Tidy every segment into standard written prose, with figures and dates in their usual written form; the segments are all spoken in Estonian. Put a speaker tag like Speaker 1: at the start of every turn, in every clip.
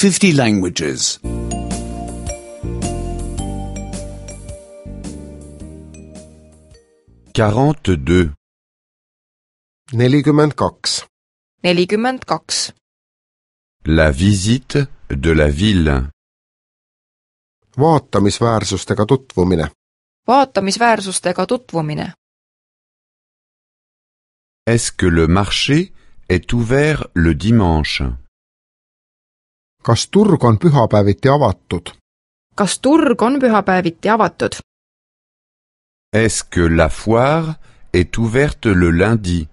Speaker 1: 50 languages.
Speaker 2: 42.
Speaker 3: 42.
Speaker 4: 42.
Speaker 2: La visite de la ville.
Speaker 3: Vaatamisväärsustega tutvumine.
Speaker 4: Vaatamisväärsustega tutvumine.
Speaker 2: Est-ce que le marché est ouvert le dimanche?
Speaker 3: Kas turg on pühapäeviti avatud?
Speaker 4: Kas turg on pühapäeviti avatud?
Speaker 2: Est-ce que la foire est ouverte le lundi?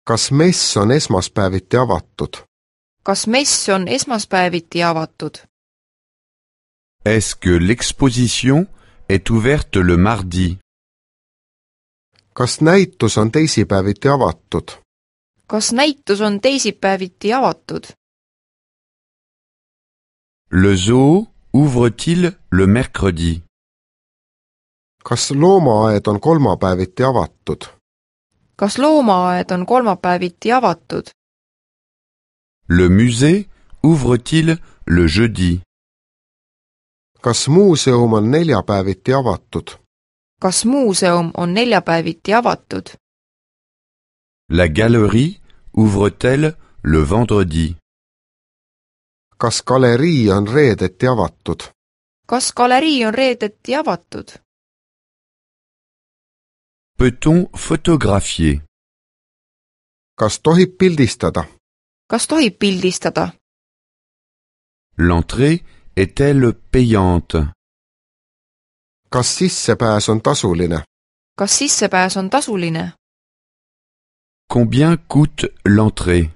Speaker 3: Kas mess on esmaspäeviti avatud?
Speaker 4: Kas mess on esmaspäeviti avatud?
Speaker 2: Est-ce que l'exposition est ouverte le mardi?
Speaker 3: Kas näitus on teisipäeviti avatud?
Speaker 4: Kas näitus on teisipäeviti avatud?
Speaker 2: Le zoo ouvre-t-il le mercredi?
Speaker 3: Kas loomaaed on kolmapäeviti avatud?
Speaker 4: Kas loomaaed on kolmapäeviti avatud?
Speaker 2: Le musée ouvre-t-il le jeudi?
Speaker 3: Kas muuseum on neljapäeviti avatud?
Speaker 4: Kas muuseum on neljapäeviti avatud?
Speaker 2: La galerie ouvre-t-elle le vendredi?
Speaker 3: Kas galerii on reedeti avatud?
Speaker 4: Kas galerii on reedeti avatud?
Speaker 2: Peut-on photographier?
Speaker 3: Kas tohib pildistada?
Speaker 4: Kas tohib pildistada?
Speaker 2: L'entrée est-elle payante?
Speaker 3: Kas sissepääs on tasuline?
Speaker 4: Kas sissepääs on tasuline?
Speaker 2: Combien coûte l'entrée?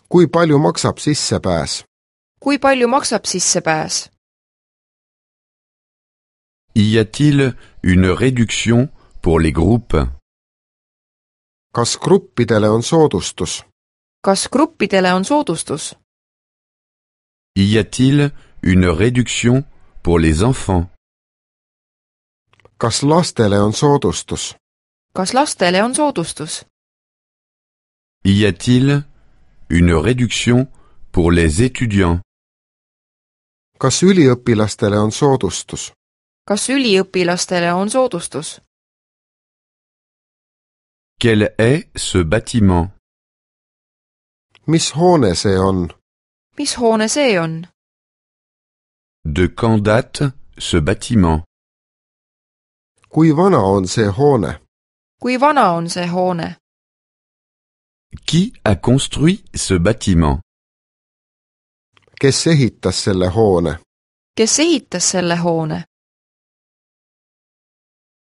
Speaker 3: Kui palju maksab sissepääs?
Speaker 4: Kui palju maksab sissepääs?
Speaker 2: Y a-t-il une réduction pour les groupes?
Speaker 3: Kas gruppidele on soodustus?
Speaker 4: Kas gruppidele on soodustus?
Speaker 2: Y a-t-il une réduction pour les enfants?
Speaker 3: Kas lastele on soodustus?
Speaker 4: Kas lastele on soodustus?
Speaker 2: Y a-t-il une réduction pour les étudiants?
Speaker 3: Kas üliõpilastele on soodustus?
Speaker 4: Kas üliõpilastele on soodustus?
Speaker 2: Quel est ce bâtiment?
Speaker 3: Mis hoone see on?
Speaker 4: Mis hoone see on?
Speaker 2: De quand date ce bâtiment?
Speaker 3: Kui vana on see hoone?
Speaker 4: Kui vana on see hoone?
Speaker 2: Qui a construit ce bâtiment?
Speaker 3: Kes ehitas selle hoone?
Speaker 4: Kes ehitas selle hoone?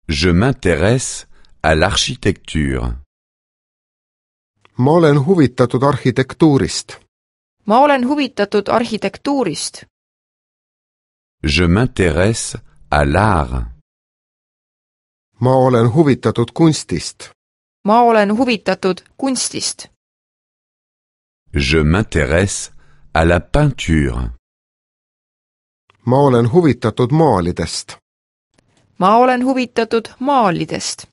Speaker 2: Je m'intéresse à l'architecture.
Speaker 3: Ma olen huvitatud arhitektuurist.
Speaker 4: Ma olen huvitatud arhitektuurist.
Speaker 2: Je m'intéresse à l'art.
Speaker 3: Ma olen huvitatud kunstist.
Speaker 4: Ma olen huvitatud kunstist.
Speaker 2: Je m'intéresse à la peinture.
Speaker 3: Ma olen huvitatud maalidest.
Speaker 4: Ma olen huvitatud maalidest.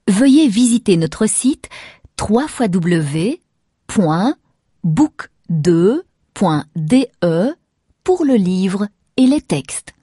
Speaker 5: Veuillez visiter notre site www.book2.de pour le livre et les textes.